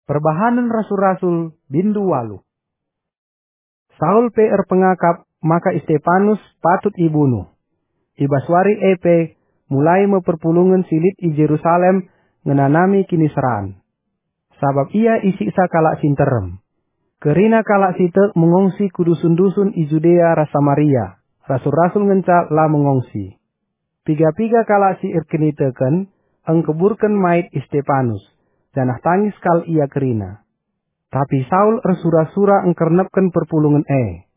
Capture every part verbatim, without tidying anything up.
Perbahanen Rasul-Rasul, bindu waluh. Saul pe erpengakap maka Istepanus patut ibunuh. I bas wari e pe mulai me perpulungen si lit i Jerusalem ngenanami kiniseran. Sabap ia isiksa kalak si nterem. Kerina kalak si tek mengongsi ku dusun-dusun i Judea ras Samaria, rasul-rasul ngenca la mengongsi. Piga-piga kalak si erkiniteken engkeburken mait Istepanus, janah tangis kal ia kerina. Tapi Saul ersura-sura engkernepken perpulungen e.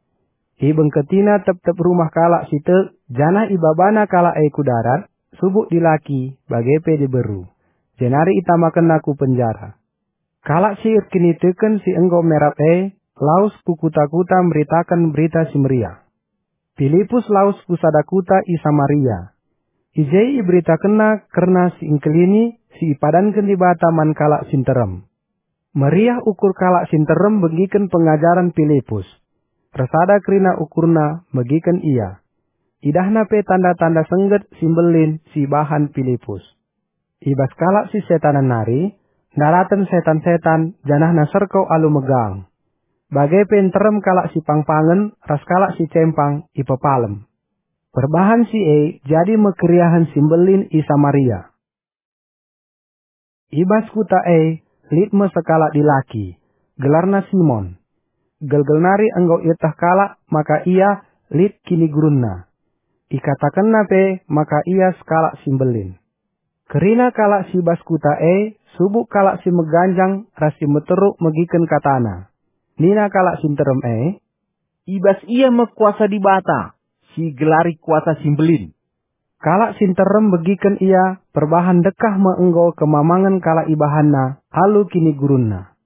Ibengketina tep-tep rumah kalak si tek, janah ibabana kalak e ku darat, subuk dilaki, bage pe diberu. Jenari itamakenna ku penjara. Kalak si erkiniteken si enggo merap e lawes ku kuta-kuta meritaken Berita Si Meriah. Pilipus lawes ku sada kuta i Samaria. I je iberitakenna kerna si engkelini si ipadanken Dibata man kalak si nterem. Meriah ukur kalak si nterem megiken pengajaren Pilipus. Ersada kerina ukurna megiken ia. Idahna pe tanda-tanda sengget si mbelin si ibahan Pilipus. I bas kalak si setanen nari, ndaraten setan-setan janahna serko alu megang. Bage pe nterem kalak si pangpangen ras kalak si cempang ipepalem. Perbahan si e jadi me keriahen si mbelin i Samaria. I bas kuta e lit me sekalak dilaki, gelarna Simon. Gelgel nari enggo ieteh kalak maka ia lit kinigurunna. Ikatakenna pe maka ia sekalak si mbelin. Kerina kalak si bas kuta e subuk kalak si meganjang ras si meteruk megiken katana. Nina kalak si nterem e, "I bas ia me kuasa Dibata, si igelari kuasa si mbelin." Kalak si nterem megiken ia perbahan ndekah me enggo kemamangen kalak ibahanna alu kinigurunna.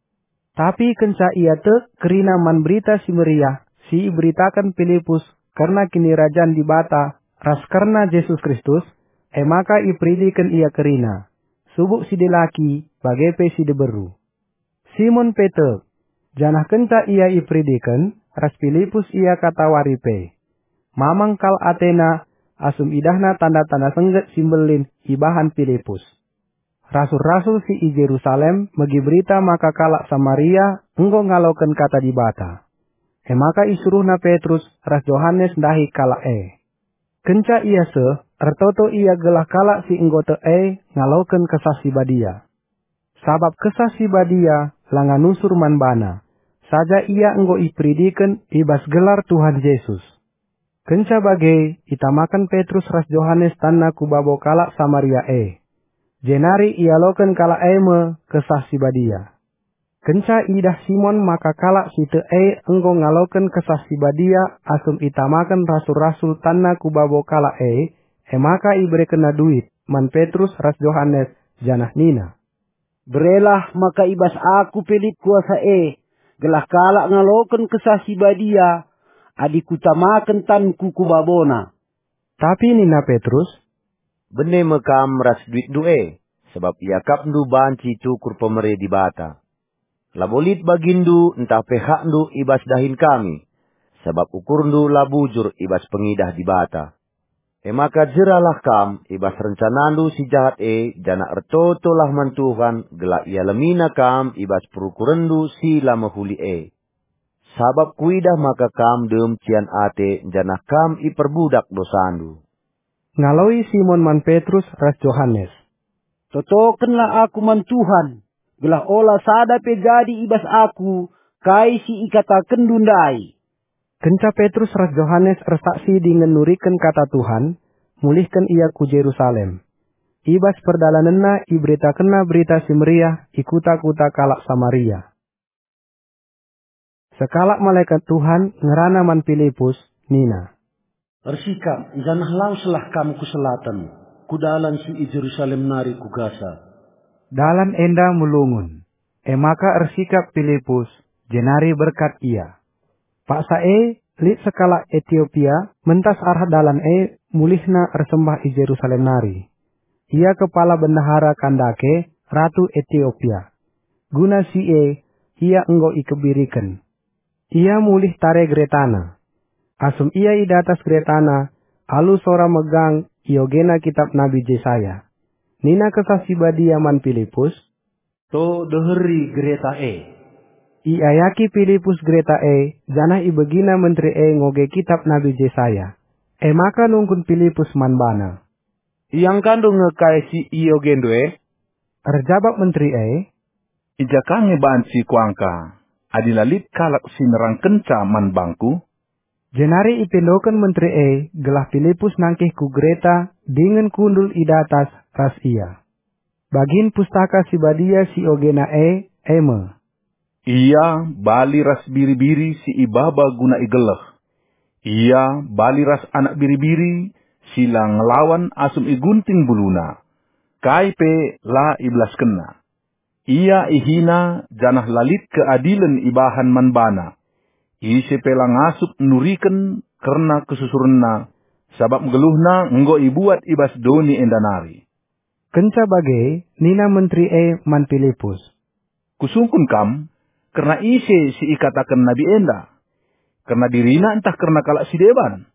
Tapi kenca ia tek kerina man Berita Si Meriah si iberitaken Pilipus kerna Kinirajan Dibata ras kerna Jesus Kristus, e maka iperidiken ia kerina, subuk si dilaki bage pe si diberu. Simon pe tek, janah kenca ia iperidiken, ras Pilipus ia katawari pe. Mamang kal atena asum idahna tanda-tanda sengget si mbelin ibahan Pilipus. Rasul-rasul si i Jerusalem megi berita maka kalak Samaria enggo ngaloken kata Dibata. E maka isuruhna Petrus ras Johanes ndahi kalak e. Kenca ia seh, ertoto ia gelah kalak si enggo tek e ngaloken Kesah Si Badia. Sabap Kesah Si Badia langa nusur man bana, saja ia enggo iperidiken i bas gelar Tuhan Jesus. Kenca bage, itamaken Petrus ras Johanes tanna ku babo kalak Samaria e. Jenari ialoken kalak e me Kesah Si Badia. Kenca idah Simon maka kalak si tek e enggo ngaloken Kesah Si Badia asum itamaken rasul-rasul tanna ku babo kalak e, e maka iberekenna duit man Petrus ras Johanes, janah nina, "Berelah maka i bas aku pe lit kuasa e, gelah kalak ngaloken Kesah Si Badia, adi kutamaken tanku ku babona." Tapi nina Petrus, "Bene me kam ras duitndu e, sabap iakapndu banci tukur pemere Dibata. Labo lit baginndu ntah pe hakndu i bas dahin kami, sabap ukurndu la bujur i bas pengidah Dibata. E maka jeralah kam i bas rencanandu si jahat e, janah ertotolah man Tuhan gelah ialemiNa kam i bas perukurenndu si la mehuli e. Sabap kuidah maka kam dem cian ate, janah kam iperbudak dosandu." Ngaloi Simon man Petrus ras Johanes, "Totokenlah aku man Tuhan, gelah ola sada pe jadi i bas aku kai si ikatakenndu ndai." Kenca Petrus ras Johanes ersaksi dingen nuriken kata Tuhan, mulihken ia ku Jerusalem. I bas perdalanenna iberitakenna Berita Si Meriah i kuta-kuta kalak Samaria. Sekalak malekat Tuhan ngerana man Pilipus, nina, "Ersikap, janah laweslah kam ku selaten, ku dalan si i Jerusalem nari ku Gasa." Dalan enda melungun. E maka ersikap Pilipus, jenari berkat ia. Paksa e, lit sekalak Etiopia mentas arah dalan e mulihna ersembah i Jerusalem nari. Ia kepala bendahara Kandake, ratu Etiopia. Guna si e, ia enggo ikebiriken. Ia mulih tare geretana. Asum ia i datas geretana, alu sora megang iogena kitap Nabi Jesaya. Nina Kesah Si Badia man Pilipus, To deheri gereta e. Iayaki Pilipus gereta e, janah ibegina menteri e ngoge kitap Nabi Jesaya. E maka nungkun Pilipus man bana, "Iangkandu nge kai si iogendu e?" Erjabap menteri e, "I ja ka nge banci kuangka, adi la lit kalak si nerangkenca man bangku?" Jenari ipindoken menteri e gelah Pilipus nangkih ku gereta dingen kundul i datas ras ia. Bagin Pustaka Si Badia si ogena e, e me, "Ia bali ras biri-biri si ibaba guna igeleh. Ia bali ras anak biri-biri si la ngelawan asum igunting buluna. Kai pe la ibelaskenna. Ia ihina janah la lit keadilen ibahan man bana. Ise pe la ngasup nuriken kerna kesusurenna, sabap nggeluhna enggo ibuat i bas doni enda nari." Kenca bage nina menteri e man Pilipus, "Kusungkun kam, kerna ise si ikataken nabi enda? Kerna dirina ntah kerna kalak si deban?"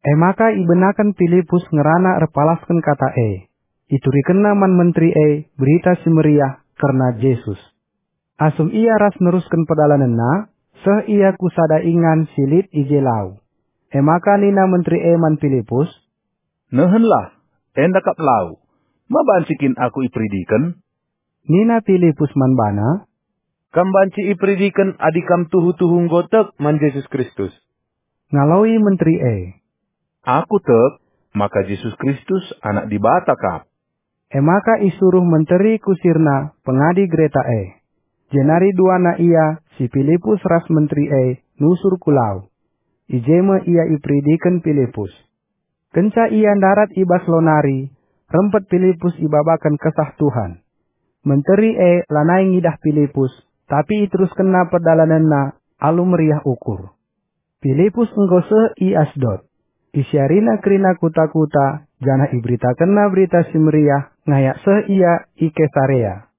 E maka ibenaken Pilipus ngerana erpalasken kata e. Iturikenna man menteri e Berita Si Meriah kerna Jesus. Asum ia ras nerusken perdalanenna, seh ia ku sada ingan si lit i je lau. E maka nina menteri e man Pilipus, "Nehenlah, enda kap lau. Ma banci kin aku iperidiken?" Nina Pilipus man bana, "Kam banci iperidiken adi kam tuhu-tuhu enggo tek man Jesus Kristus." Ngaloi menteri e, "Aku tek maka Jesus Kristus Anak Dibata kap." E maka isuruh menteri kusirna pengadi gereta e. Jenari duana ia, si Pilipus ras menteri e, nusur ku lau. I je me ia iperidiken Pilipus. Kenca ia ndarat i bas lau nari, rempet Pilipus ibabaken Kesah Tuhan. Menteri e lanai ngidah Pilipus, tapi iteruskenna perdalanenna alu meriah ukur. Pilipus enggo seh i Asdod. Isiarina kerina kuta-kuta, janah iberitakenna Berita Si Meriah ngayak seh ia i Kesarea.